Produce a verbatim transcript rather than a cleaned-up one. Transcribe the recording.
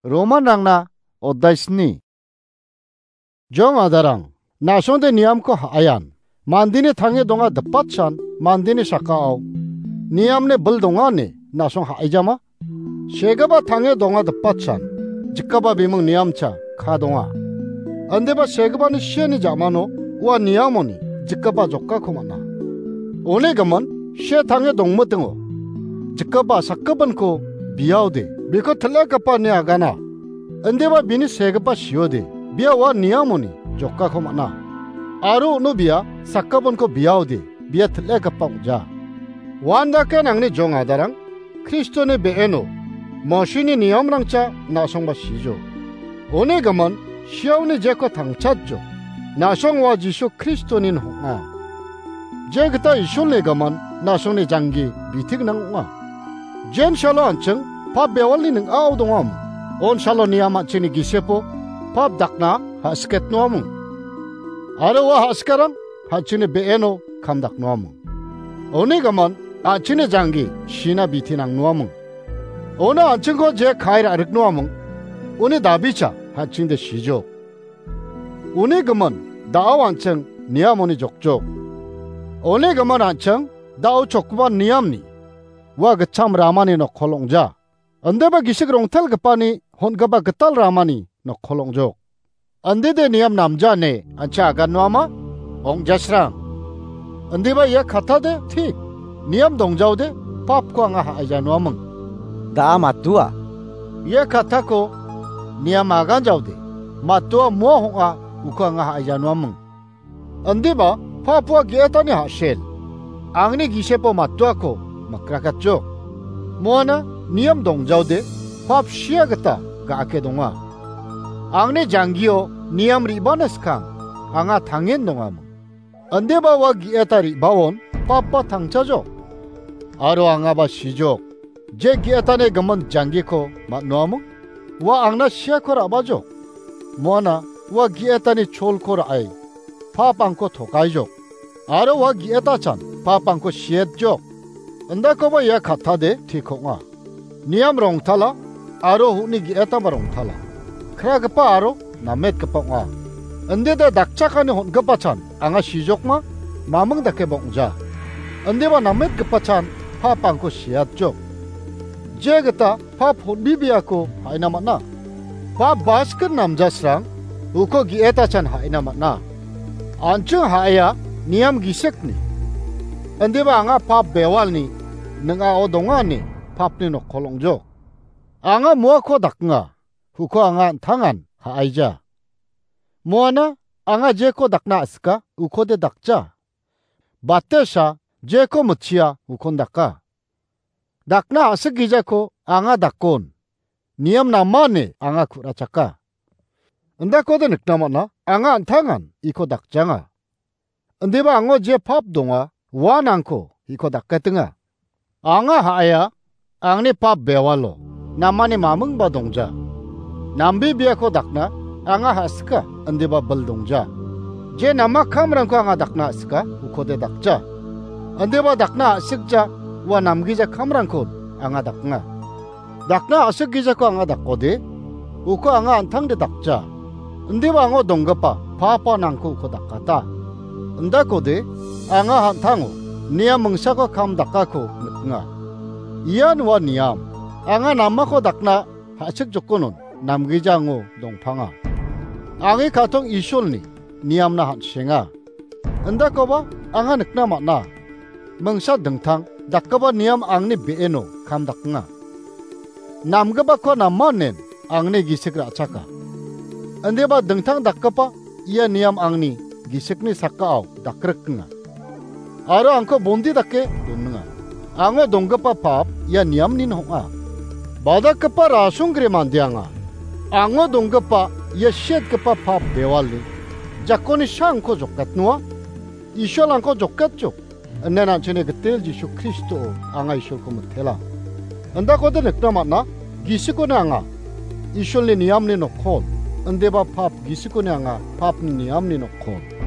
Romanrangna oddaisni. Jong adarang, na·songde niamko ha·aian. Mandeni tange donga dipatsan, mandeni sakao niamni bil donga ine na·song ha·aijama? Segipa tange donga dipatsan, jikgipa biming niamcha ka donga. Indiba segipani siani ja·mano ua niamoni jikgipa jokako man·a. Uni gimin, se tange dongmitingo jikgipa sakgipinko biaode, biko til·ekgipani agana. Indiba bini segipa siode, bia ua niamoni jokako man·a. Aro uno bia sakgipinko biaode, bia til·ekgipa ong·ja. Uandake nangni jong adarang, Kristoni be·eno Mosini niamrangcha na·songba sijo. Uni gimin, siaoni jeko tangchatjo. Na·song ua Jisu Kristonin ong·a. Je gita Isolni gimin, na·songni janggi bitik nang ong·a. Jen salo an·ching pap bewalni ning·ao dongam. On salo niam an·chingni gisepo pap dakna ha·siketnoaming. Aro ua ha·sikarang an·chingni be·eno kam daknoaming. Uni gimin, an·chingni janggi sina biti nangnoaming. Ona an·chingko je kai ra·riknoaming, uni dabicha an·chingde sijok. Uni gimin, da·o an·ching niamoni jokjok. Uni gimin an·ching da·o chokgipa niamni ua gitcham ramani nokkol ong·ja. Indiba gisik rongtelgipani hon·gipa gital ramani nokkol ong·jok. Indide niam namja ine an·ching agannoama? Ong·jasrang. Indiba ia kattade, ti, niam dongjaode, papko anga ha·aijanoaming. Da·a matdoa. Ia kattako niam aganjaode, matdoa moa hong·a uko anga ha·aijanoaming. Indiba pap ua ge·etani ha·sel. Angni gisepo matdoako mikrakatjok. Moana niam dongjaode pap sia gita ga·ake donga. Angni janggio niam re·bana skang anga tangen dongaming. Indiba ua ge·eta re·baon papa tangchajok. Aro angaba sijok. Je ge·etani gimin janggiko man·noaming, ua angna siako ra·bajok. Moana ua ge·etani cholko ra·e, pap angko tokaijok. Aro ua ge·etachan pap angko sietjok. Indakoba ia kattade tik ong·a. Niam rongtala aro honi ge·etaba rongtala. Kragipa aro nametgipa ong·a. Indide dakchakani hon·gipachan anga sijokma, maming dakeba ong·ja. Indiba nametgipachan pap angko siatjok. Je gita pap hon·bibiako ha·ina man·a. Pap basket namjasrang uko ge·etachan ha·ina man·a. An·ching ha·aia niam gisikni. Indiba anga pap bewalni ning·ao donga ine papni nokkol ong·jok. Anga moako daknga, uko anga an·tangan ha·aija. Moana anga jeko dakna a·sika, ukode dakja. Batesa jeko mitchia, ukon daka. Dakna a·sikgijako anga dakon. Niam namane anga ku·rachaka. Indakode nikna man·a, anga an·tangan iko dakjanga. Indiba ango je pap donga, uan angko iko daketenga. Anga ha·aia, angni pap bewalo namani mamingba dongja. Nambibiako dakna anga ha·sika, indiba bil dongja. Je nama kamrangko anga dakna a·sika, ukode dakja. Indiba dakna a·sikja, ua namgija kamrangkon anga daknga. Dakna a·sikgijako anga dakode, uko anga an·tangde dakja. Indiba ango donggipa papa nangko uko dakata. Indakode, anga an·tango niam mingsako kam dakako niknga. Ian ua niam, anga namako dakna ha·sik jokonon namgijango dongpanga. Angi ka·tong Isolni niamna han·senga. Indakoba anga nikna man·a. Mingsa dingtang dakgipa niam angni be·eno kam daknga. Namgipako namanen angni gisik ra·chaka. Indiba dingtang dakgipa ia niam angni gisikni sakao dakrikenga. Aro angko bondi dake doninga. Ango donggipa pap ia niamnin ong·a. Badakgipa rasonggre mande anga. Ango donggipa ia siatgipa pap bewalni jakoni sangko joketnoa. Isolangko joketjok. Ine an·chingni gitel Jisu Kristo anga Isolko mitela. Indakode nikna man·a, gisikoni anga Isolni niamni nokkol. Indiba pap gisikoni anga papni niamni nokkol.